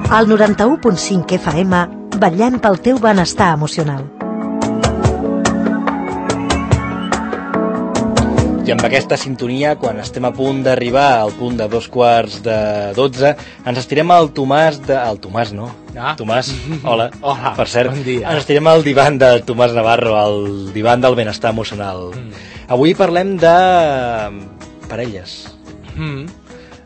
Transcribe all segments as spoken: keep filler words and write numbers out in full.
Al noranta-u punt cinc F M, vetllem pel teu benestar emocional. I amb aquesta sintonia, quan estem a punt d'arribar al punt de dos quarts de dotze, ens estirem al Tomàs de... El Tomàs, no? Ah. Tomàs, hola. Hola, per cert, bon dia. Ens estirem al divan de Tomàs Navarro, al divan del benestar emocional. Mm. Avui parlem de parelles. Mm.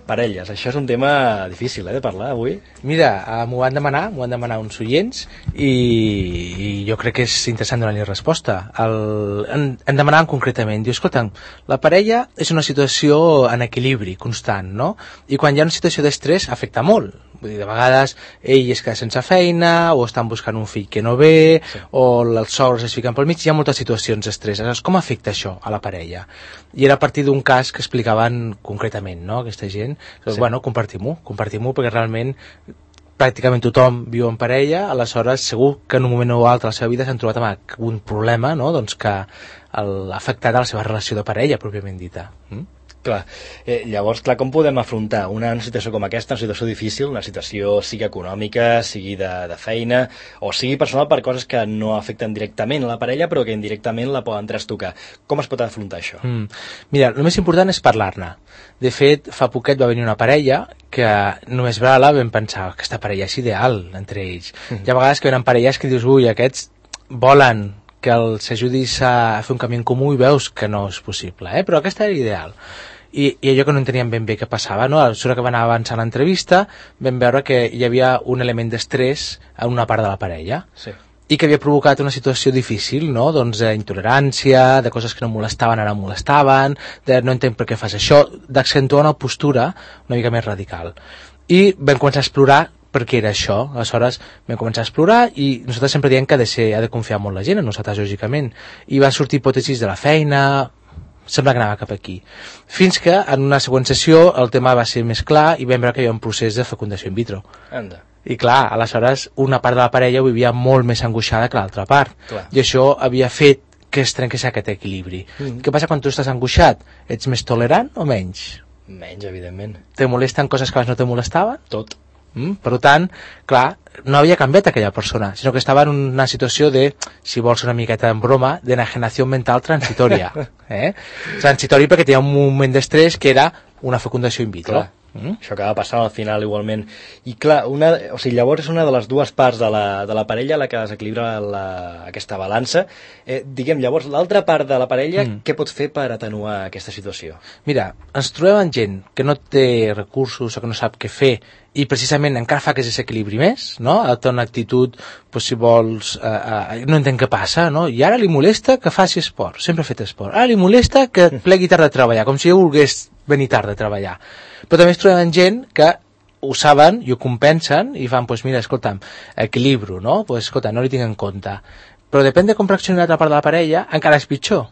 Parelles, això és un tema difícil, eh, de parlar avui. Mira, uh, m'ho van demanar, m'ho van demanar uns oients i, i jo crec que és interessant donar-li resposta. El, en, en demanaven concretament, diu, escolta, la parella és una situació en equilibri constant, no? I quan hi ha una situació d'estrès afecta molt. Vull dir, de vegades ell es queda sense feina, o estan buscant un fill que no ve, sí. o els sogres es fiquen pel mig, hi ha moltes situacions d'estrès. Aleshores, com afecta això a la parella? I era a partir d'un cas que explicaven concretament, no?, aquesta gent. Doncs, sí. Bueno, compartim-ho, compartim-ho, perquè realment pràcticament tothom viu en parella, aleshores segur que en un moment o altre a la seva vida s'han trobat amb un problema, no?, doncs que ha afectat a la seva relació de parella, pròpiament dita. Mm? Clar, eh, llavors, clar, com podem afrontar una, una situació com aquesta, una situació difícil, una situació sigui econòmica, sigui de, de feina, o sigui personal per coses que no afecten directament a la parella, però que indirectament la poden trastocar. Com es pot afrontar això? Mm. Mira, el més important és parlar-ne. De fet, fa poquet va venir una parella que només veure-la vam pensar que aquesta parella és ideal entre ells. Mm. Hi ha vegades que venen parelles que dius, ui, aquests volen que els ajudis a fer un camí en comú i veus que no és possible, eh? Però aquesta era ideal. I, i allò que no enteníem ben bé què passava, no? A mesura que va anar avançant l'entrevista vam veure que hi havia un element d'estrès en una part de la parella. Sí. I que havia provocat una situació difícil, no? Doncs d'intolerància, de coses que no molestaven, ara molestaven, de no entenc per què fas això, d'accentuar una postura una mica més radical. I vam començar a explorar per què era això. Aleshores vam començar a explorar i nosaltres sempre diem que ha de, ser, ha de confiar molt la gent en nosaltres, lògicament. I van sortir hipòtesis de la feina, sembla que anava cap aquí. Fins que en una següent sessió el tema va ser més clar i vam veure que hi havia un procés de fecundació in vitro. Anda. I clar, aleshores una part de la parella ho vivia molt més angoixada que l'altra part. Clar. I això havia fet que es trenqués aquest equilibri. Mm. Què passa quan tu estàs angoixat? Ets més tolerant o menys? Menys, evidentment. Te molesten coses que abans no te molestaven? Tot. Mm? Per tant, clar, no havia canviat aquella persona, sinó que estava en una situació de, si vols una miqueta en broma, d'enajenació mental transitòria. Eh? Transitori perquè tenia un moment d'estrès que era una fecundació in vitro. Clar. Mm? Això acaba passant al final igualment. I clar, una, o sigui, llavors és una de les dues parts de la, de la parella la que desequilibra la, aquesta balança. Eh, diguem, llavors, l'altra part de la parella, mm. què pot fer per atenuar aquesta situació? Mira, ens trobem amb gent que no té recursos o que no sap què fer i precisament encara fa que es desequilibri més, no? Té una actitud, pues, si vols, eh, eh, no entenc què passa, no? I ara li molesta que faci esport, sempre ha fet esport. Ara li molesta que plegui tard de treballar, com si jo volgués venir tard de treballar. Però també es trobem gent que ho saben i ho compensen i fan, pues mira, escolta'm, equilibro, no? Pues escolta, no li tinc en compte. Però depèn de com reaccioni l'altra part de la parella, encara és pitjor.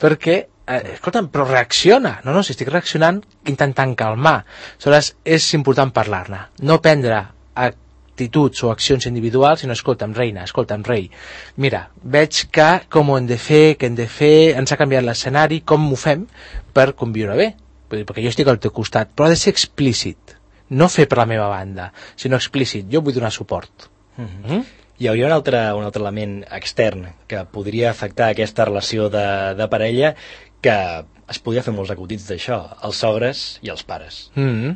Perquè, eh, escolta'm, però reacciona. No, no, si estic reaccionant intentant calmar. Aleshores, és important parlar-ne. No prendre actituds o accions individuals, sinó, escolta'm, reina, escolta'm, rei. Mira, veig que com ho hem de fer, què hem de fer, ens ha canviat l'escenari, com ho fem per conviure bé. Perquè jo estic al teu costat, però ha de ser explícit, no fer per la meva banda, sinó explícit, jo vull donar suport. Mm-hmm. Mm? Hi hauria un altre, un altre element extern que podria afectar aquesta relació de, de parella, que es podria fer molts acudits d'això, els sogres i els pares. Mm-hmm.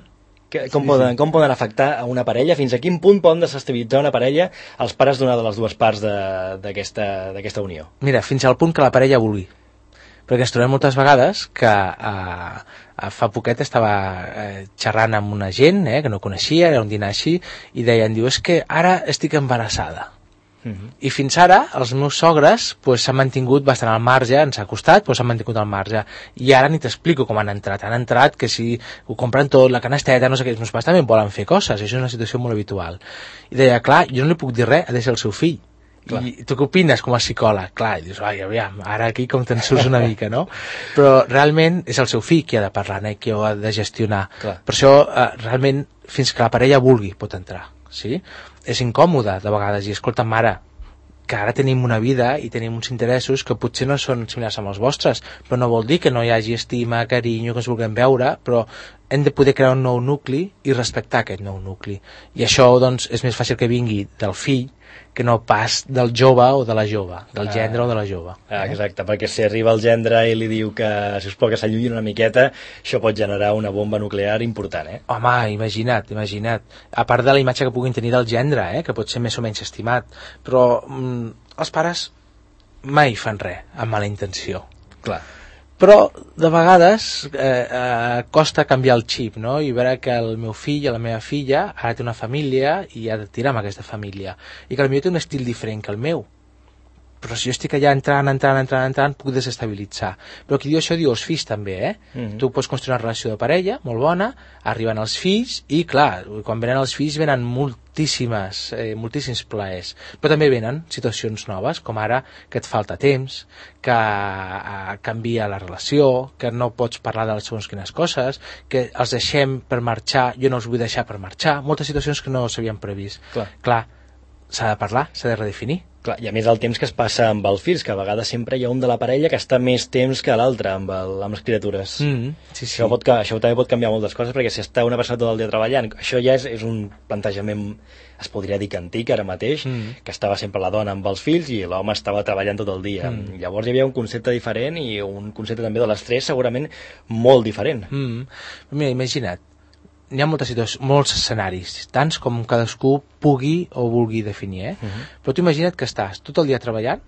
Que, com, sí, poden, sí. com poden afectar a una parella? Fins a quin punt poden desestabilitzar una parella els pares d'una de les dues parts d'aquesta unió? Mira, fins al punt que la parella vulgui. Perquè ens trobem moltes vegades que eh, fa poquet estava eh, xerrant amb una gent eh, que no coneixia, era un dinar així, i deien, diu, és que ara estic embarassada. Uh-huh. I fins ara els meus sogres pues, s'han mantingut bastant al marge, ens ha costat, però s'han mantingut al marge. I ara ni t'explico com han entrat. Han entrat que si ho compren tot, la canasteta, no sé què, els meus pares també volen fer coses, això és una situació molt habitual. I deia, clar, jo no li puc dir res, ha de ser el seu fill. Clar. I tu què opines com a psicòleg? Clar, i dius, ai, aviam, ara aquí com te'n surts una mica, no? Però realment és el seu fill qui ha de parlar, eh? Qui ho ha de gestionar. Clar. Per això, eh, realment, fins que la parella vulgui, pot entrar, sí? És incòmode, de vegades, i escolta, mare, que ara tenim una vida i tenim uns interessos que potser no són similars amb els vostres, però no vol dir que no hi hagi estima, carinyo, que ens vulguem veure, però hem de poder crear un nou nucli i respectar aquest nou nucli. I això, doncs, és més fàcil que vingui del fill que no pas del jove o de la jove, del gendre ah. o de la jove. Ah, exacte, perquè si arriba el gendre i li diu que, si us plau, que s'allunyin una miqueta, això pot generar una bomba nuclear important, eh? Home, imagina't, imagina't. A part de la imatge que puguin tenir del gendre, eh, que pot ser més o menys estimat, però mm, els pares mai fan res amb mala intenció. Clar. Però de vegades eh, eh, costa canviar el xip, no? I veure que el meu fill o la meva filla ara té una família i ha de tirar amb aquesta família i que potser té un estil diferent que el meu, però si jo estic allà entrant, entrant, entrant, entrant, puc desestabilitzar. Però qui diu això diu els fills també, eh? Mm-hmm. Tu pots construir una relació de parella molt bona, arriben els fills i clar, quan venen els fills venen moltíssimes, eh, moltíssims plaers, però també venen situacions noves, com ara que et falta temps, que eh, canvia la relació, que no pots parlar de les segons quines coses, que els deixem per marxar, jo no els vull deixar per marxar, moltes situacions que no s'havien previst. Clar, clar s'ha de parlar, s'ha de redefinir. Clar, i a més el temps que es passa amb els fills, que a vegades sempre hi ha un de la parella que està més temps que l'altre amb, el, amb les criatures. Mm, sí, sí. Això, pot, això també pot canviar moltes coses, perquè si està una persona tot el dia treballant, això ja és, és un plantejament, es podria dir que antic ara mateix, mm. que estava sempre la dona amb els fills i l'home estava treballant tot el dia. Mm. Llavors hi havia un concepte diferent i un concepte també de l'estrès segurament molt diferent. Mm. Mira, imagina't, hi ha moltes situacions, molts escenaris, tants com cadascú pugui o vulgui definir, eh? Uh-huh. Però tu imagina't que estàs tot el dia treballant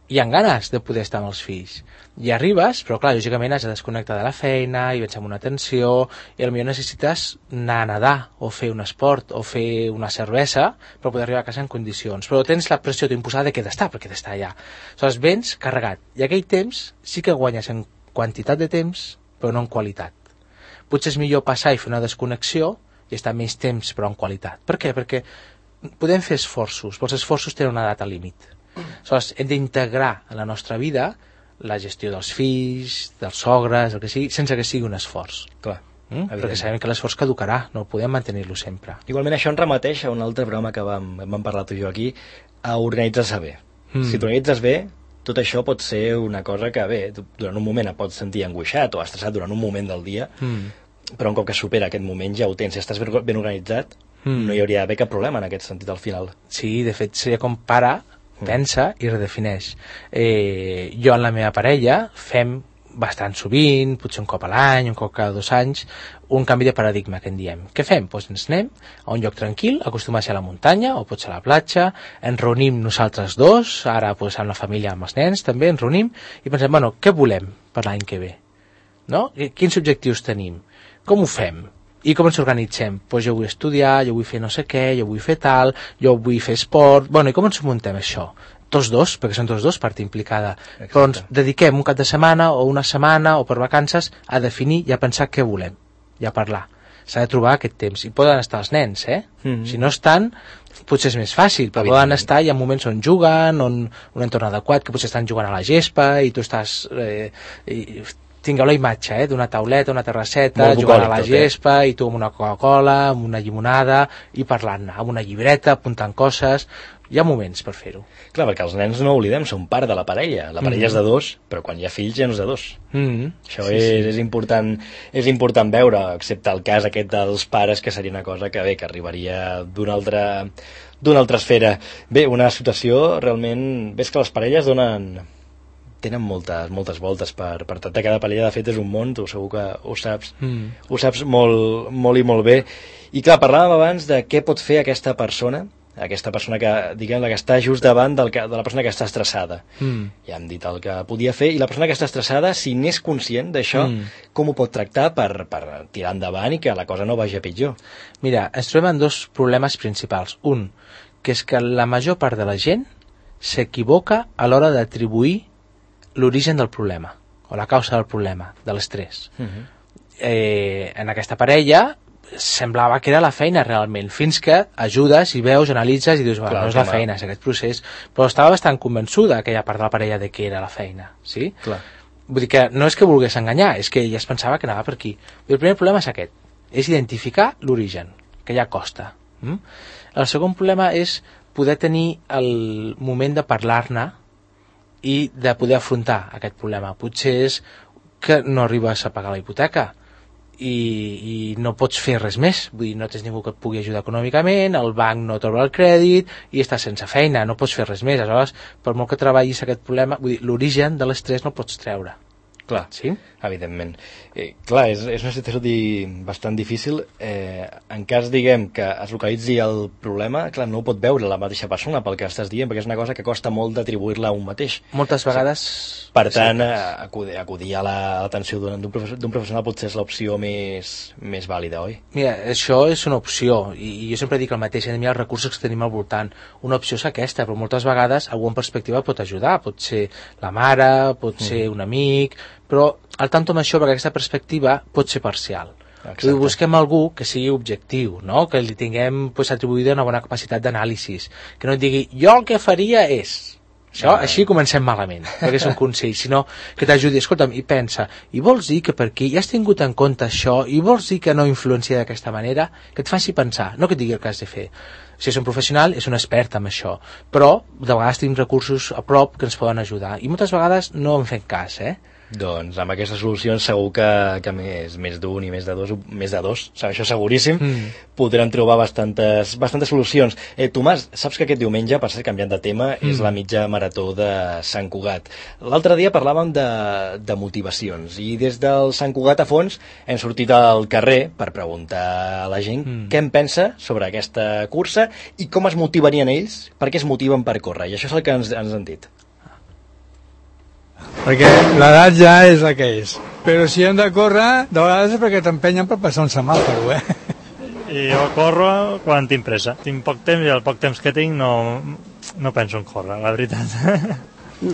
i amb ganes de poder estar amb els fills. I arribes, però clar, lògicament has de desconnectar de la feina i vens amb una tensió i potser necessites anar a nedar o fer un esport o fer una cervesa per poder arribar a casa en condicions. Però tens la pressió imposada de que he d'estar, perquè he d'estar allà. Aleshores vens carregat. I aquell temps sí que guanyes en quantitat de temps, però no en qualitat. Potser és millor passar i fer una desconnexió i estar més temps però en qualitat. Per què? Perquè podem fer esforços, però els esforços tenen una data límit. Aleshores, hem d'integrar en la nostra vida la gestió dels fills, dels sogres, el que sigui, sense que sigui un esforç. Clar. Mm? Perquè sabem que l'esforç caducarà, no podem mantenir-lo sempre. Igualment això ens remeteix a un altre programa que vam, vam parlar tu i jo aquí, a organitzar-se bé. Mm. Si t'organitzes bé, tot això pot ser una cosa que, bé, durant un moment et pots sentir angoixat o estressat durant un moment del dia, mm. però un cop que supera aquest moment ja ho tens. Si estàs ben, ben organitzat, mm. no hi hauria d'haver cap problema en aquest sentit al final. Sí, de fet, seria com para, mm. pensa i redefineix. Eh, jo en la meva parella fem bastant sovint, potser un cop a l'any, un cop cada dos anys, un canvi de paradigma que en diem. Què fem? Doncs ens anem a un lloc tranquil, acostumar a ser a la muntanya o pot ser a la platja, ens reunim nosaltres dos, ara doncs, amb la família, amb els nens també, ens reunim i pensem, bueno, què volem per l'any que ve? No? Quins objectius tenim? Com ho fem? I com ens organitzem? Doncs jo vull estudiar, jo vull fer no sé què, jo vull fer tal, jo vull fer esport... Bueno, i com ens muntem això? Tots dos, perquè són tots dos part implicada. Exacte. Però ens dediquem un cap de setmana o una setmana o per vacances a definir i a pensar què volem i a parlar. S'ha de trobar aquest temps. I poden estar els nens, eh? Mm-hmm. Si no estan, potser és més fàcil, però poden estar, hi ha moments on juguen, on un entorn adequat, que potser estan jugant a la gespa i tu estàs... Eh, i, tingueu la imatge eh, d'una tauleta, una terrasseta, jugant a la gespa, eh? I tu amb una Coca-Cola, amb una llimonada, i parlant, amb una llibreta, apuntant coses... Hi ha moments per fer-ho. Clar, perquè els nens, no oblidem, són part de la parella. La parella mm-hmm. és de dos, però quan hi ha fills ja no és de dos. Mm-hmm. Això sí, és, sí. És, important, és important veure, excepte el cas aquest dels pares, que seria una cosa que bé, que arribaria d'una altra, d'una altra esfera. Bé, una situació realment... Ves que les parelles donen... tenen moltes, moltes voltes per, per tractar cada parella. De fet, és un món, tu segur que ho saps, mm. ho saps molt, molt i molt bé. I clar, parlàvem abans de què pot fer aquesta persona, aquesta persona que, diguem, la que està just davant del que, de la persona que està estressada. Mm. Ja hem dit el que podia fer, i la persona que està estressada, si n'és conscient d'això, mm. com ho pot tractar per, per tirar endavant i que la cosa no vagi a pitjor? Mira, ens trobem en dos problemes principals. Un, que és que la major part de la gent s'equivoca a l'hora d'atribuir l'origen del problema, o la causa del problema, de l'estrès. Mm-hmm. Eh, en aquesta parella semblava que era la feina realment, fins que ajudes i veus, analitzes i dius, bueno, no és la feina, és aquest procés, però estava bastant convençuda aquella part de la parella de que era la feina, sí? Clar. Vull dir que no és que volgués enganyar, és que ella es pensava que anava per aquí. El primer problema és aquest, és identificar l'origen, que ja costa. Mm? El segon problema és poder tenir el moment de parlar-ne i de poder afrontar aquest problema. Potser és que no arribes a pagar la hipoteca, i, i no pots fer res més, vull dir, no tens ningú que et pugui ajudar econòmicament, el banc no t'obre el crèdit i estàs sense feina, no pots fer res més. Aleshores, per molt que treballis aquest problema, vull dir, l'origen de l'estrès no el pots treure. Clar, sí? Evidentment. Eh, clar, és, és una situació di, bastant difícil. Eh, en cas, diguem, que es localitzi el problema, clar, no ho pot veure la mateixa persona pel que estàs dient, perquè és una cosa que costa molt d'atribuir-la a un mateix. Moltes vegades... Sí. Per tant, sí. acudir, acudir a l'atenció la, d'un professional, professional potser és l'opció més, més vàlida, oi? Mira, això és una opció, i, i jo sempre dic el mateix, hem de mirar els recursos que tenim al voltant. Una opció és aquesta, però moltes vegades algú en perspectiva pot ajudar, pot ser la mare, pot mm. ser un amic, però al tanto amb això, perquè aquesta perspectiva pot ser parcial. Exacte. Busquem algú que sigui objectiu, no? Que li tinguem pues, atribuïda una bona capacitat d'anàlisi, que no et digui, jo el que faria és... Això, ah. Així comencem malament, perquè és un consell, sinó que t'ajudi, escolta'm, i pensa, i vols dir que per aquí ja has tingut en compte això, i vols dir que no influencia d'aquesta manera, que et faci pensar, no que et digui el que has de fer. Si és un professional, és un expert en això, però de vegades tenim recursos a prop que ens poden ajudar, i moltes vegades no en fem cas, eh? Doncs amb aquestes solucions segur que, que més, més d'un i més de dos, més de dos, això seguríssim, mm. podrem trobar bastantes, bastantes solucions. Eh, Tomàs, saps que aquest diumenge, per ser canviant de tema, mm. és la mitja marató de Sant Cugat. L'altre dia parlàvem de, de motivacions i des del Sant Cugat a fons hem sortit al carrer per preguntar a la gent mm. què en pensa sobre aquesta cursa i com es motivarien ells, per què es motiven per córrer, i això és el que ens, ens han dit. Perquè l'edat ja és la que és. Però si hem de córrer, de vegades és perquè t'empenyen per passar un semàforo, eh? I jo corro quan tinc pressa. Tinc poc temps i el poc temps que tinc no, no penso en córrer, la veritat.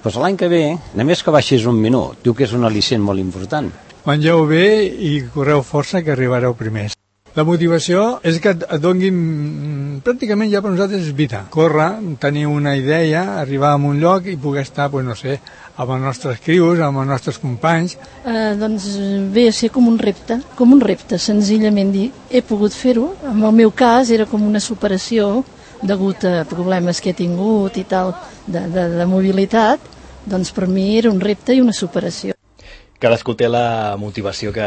Pues l'any que ve, només que baixis un minut, diu que és un al·licient molt important. Mengeu bé i correu força que arribareu primers. La motivació és que et donguin, pràcticament ja per nosaltres és vida. Córrer, tenir una idea, arribar a un lloc i poder estar, pues, no sé, amb els nostres crios, amb els nostres companys. Eh, doncs ve a ser com un repte, com un repte, senzillament dir, he pogut fer-ho. En el meu cas era com una superació degut a problemes que he tingut i tal, de, de, de mobilitat, doncs per mi era un repte i una superació. Cadascú té la motivació que,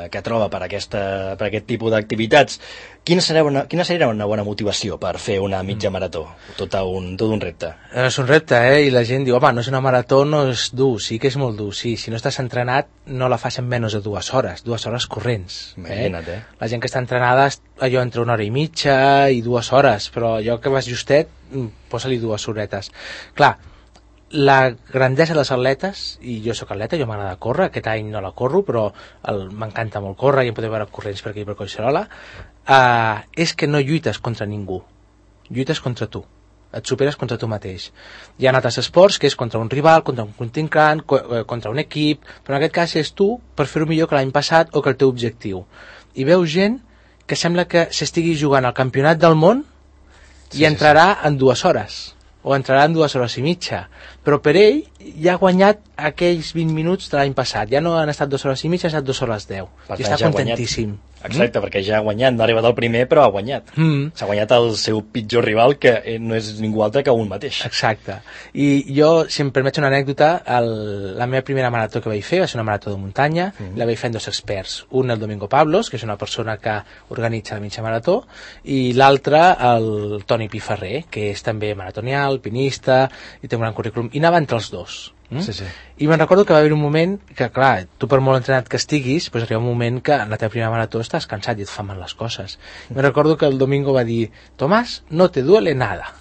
que troba per, aquesta, per aquest tipus d'activitats. Quina seria, una, quina seria una bona motivació per fer una mitja marató? Tot un, tot un repte. És un repte, eh? I la gent diu, home, no és una marató, no és dur. Sí que és molt dur, sí. Si no estàs entrenat, no la fas en menys de dues hores, dues hores corrents. Imagina't, eh? eh? La gent que està entrenada, allò entre una hora i mitja i dues hores, però allò que vas justet, posa-li dues horetes. Clar, la grandesa dels atletes, i jo sóc atleta, jo m'agrada córrer, aquest any no la corro, però m'encanta molt córrer i em podeu veure corrents per aquí per Collserola, uh, és que no lluites contra ningú, lluites contra tu, et superes contra tu mateix. Hi ha altres esports que és contra un rival, contra un contrincant, contra un equip, però en aquest cas és tu per fer-ho millor que l'any passat o que el teu objectiu. I veus gent que sembla que s'estigui jugant al campionat del món i sí, entrarà sí, sí. en dues hores. O entrarà en dues hores i mitja, però per ell ja ha guanyat aquells vint minuts de l'any passat, ja no han estat dues hores i mitja, han estat dues hores deu, i està ja contentíssim. Exacte, mm? Perquè ja ha guanyat, no ha arribat al primer, però ha guanyat. Mm. S'ha guanyat el seu pitjor rival, que no és ningú altre que un mateix. Exacte. I jo, si em permets una anècdota, el, la meva primera marató que vaig fer va ser una marató de muntanya, mm. la vaig fer amb dos experts. Un, el Domingo Pablos, que és una persona que organitza la mitja marató, i l'altre, el Toni Piferrer, que és també maratonià, alpinista, i té un gran currículum. I anava entre els dos. Mm? Sí, sí. I me'n recordo que va haver un moment que, clar, tu per molt entrenat que estiguis, pues arriba un moment que en la teva primera marató estàs cansat i et fan mal les coses. I me'n recordo que el Domingo va dir, Tomás, no te duele nada.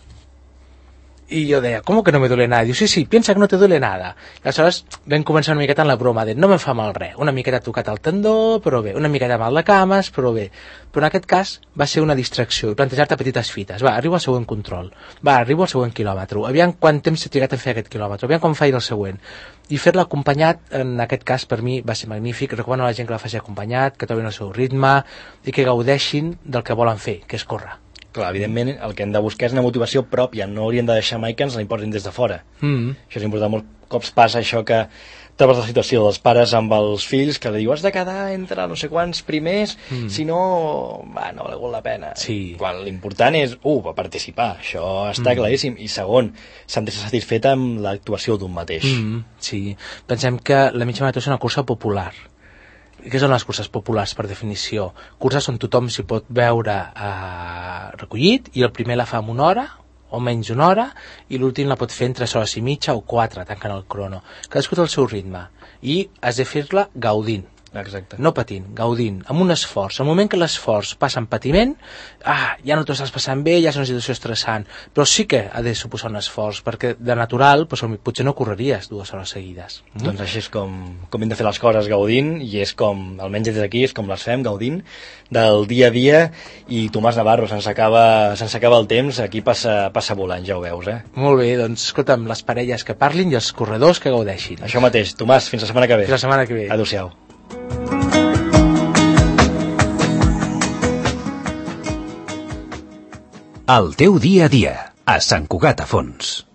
I jo deia, ¿cómo que no me duele nada? Diu, sí, sí, piensa que no te duele nada. I aleshores vam començar una miqueta en la broma de no me fa mal res, una miqueta tocat el tendó, però bé, una miqueta mal de cames, però bé. Però en aquest cas va ser una distracció i plantejar-te petites fites. Va, arribo al següent control. Va, arribo al següent quilòmetre. Aviam quant temps s'ha trigat a fer aquest quilòmetre. Aviam quan faig el següent. I fer-la acompanyat, en aquest cas, per mi va ser magnífic. Recomano a la gent que la faci acompanyat, que trobin el seu ritme i que gaudeixin del que volen fer, que és córrer. Clar, evidentment, el que hem de buscar és una motivació pròpia, no hauríem de deixar mai que ens la imposin des de fora. Mm. Això és important, molts cops passa això que trobes la situació dels pares amb els fills que li diu has de quedar entre no sé quants primers, mm. si no, va, no ha valgut la pena. Sí. Quan l'important és, uh, va participar, això està mm. claríssim, i segon, sentir-se satisfet amb l'actuació d'un mateix. Mm. Sí, pensem que la mitja marató és una cursa popular. Què són les curses populars, per definició? Curses on tothom s'hi pot veure eh, recollit, i el primer la fa en una hora, o menys una hora, i l'últim la pot fer en tres hores i mitja o quatre, tancant el crono. Cadascú té el seu ritme, i has de fer-la gaudint. Exacte. No patint, gaudint, amb un esforç. Al moment que l'esforç passa en patiment, ah, ja no t'ho estàs passant bé, ja és una situació estressant, però sí que ha de suposar un esforç, perquè de natural doncs, potser no correries dues hores seguides. Mm? Doncs així és com, com hem de fer les coses, gaudint, i és com, almenys des d'aquí, és com les fem, gaudint, del dia a dia. I Tomàs Navarro, se'ns acaba, se'ns acaba el temps, aquí passa, passa volant, ja ho veus, eh? Molt bé, doncs escolta'm, les parelles que parlin i els corredors que gaudeixin. Això mateix. Tomàs, fins la setmana que ve. Fins la setmana que ve. Adéu-siau. El teu dia a dia, a Sant Cugat a Fons.